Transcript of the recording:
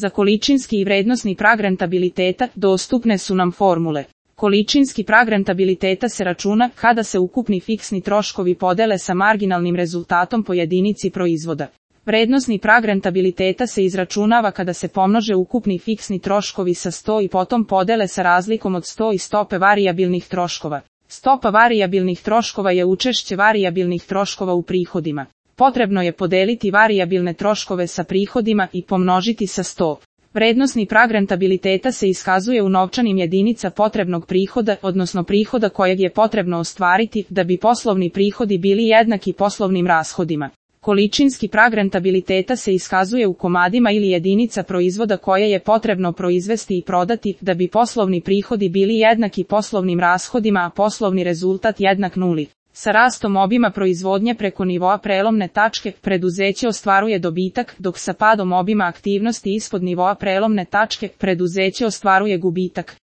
Za količinski i vrednosni prag rentabiliteta dostupne su nam formule. Količinski prag rentabiliteta se računa kada se ukupni fiksni troškovi podele sa marginalnim rezultatom po jedinici proizvoda. Vrednosni prag rentabiliteta se izračunava kada se pomnože ukupni fiksni troškovi sa 100 i potom podele sa razlikom od 100 i stope varijabilnih troškova. Stopa varijabilnih troškova je učešće varijabilnih troškova u prihodima. Potrebno je podeliti varijabilne troškove sa prihodima i pomnožiti sa 100. Vrednosni prag rentabiliteta se iskazuje u novčanim jedinica potrebnog prihoda, odnosno prihoda kojeg je potrebno ostvariti da bi poslovni prihodi bili jednaki poslovnim rashodima. Količinski prag rentabiliteta se iskazuje u komadima ili jedinica proizvoda koje je potrebno proizvesti i prodati da bi poslovni prihodi bili jednaki poslovnim rashodima, a poslovni rezultat jednak nuli. Sa rastom obima proizvodnje preko nivoa prelomne tačke preduzeće ostvaruje dobitak, dok sa padom obima aktivnosti ispod nivoa prelomne tačke preduzeće ostvaruje gubitak.